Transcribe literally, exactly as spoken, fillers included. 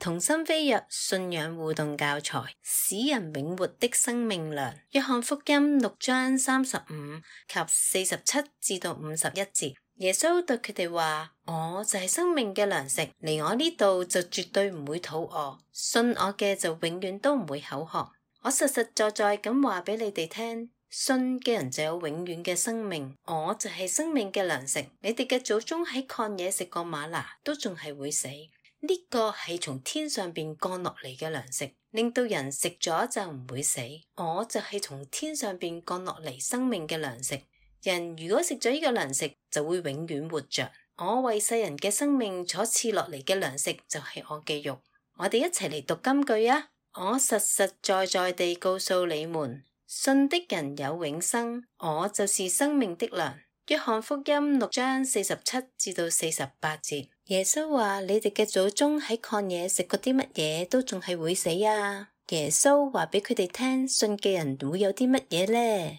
同心飛躍信仰互動教材，使人永活的生命糧。約翰福音六章三十五及四十七至到五十一節，耶穌對佢哋話：我就係生命嘅糧食，嚟我呢度就絕對唔會肚餓，信我嘅就永遠都唔會口渴。我實實在在咁話俾你哋聽，信嘅人就有永遠嘅生命，我就係生命嘅糧食。你哋嘅祖宗喺曠野食過嗎哪，都仲係會死。呢個係從天上邊降落嚟嘅糧食，令到人食咗就唔會死。我就係從天上邊降落嚟生命嘅糧食。人如果食咗呢個糧食，就會永遠活着。我為世人嘅生命所賜落嚟嘅糧食就係我嘅肉。我哋一齊嚟讀金句啊！我實實在在地告訴你們，信的人有永生，我就是生命的糧。約翰福音六章四十七至到四十八節，耶穌話：你哋嘅祖宗喺曠野食過啲乜嘢，都仲係會死啊！耶穌話俾佢哋聽，信嘅人會有啲乜嘢呢？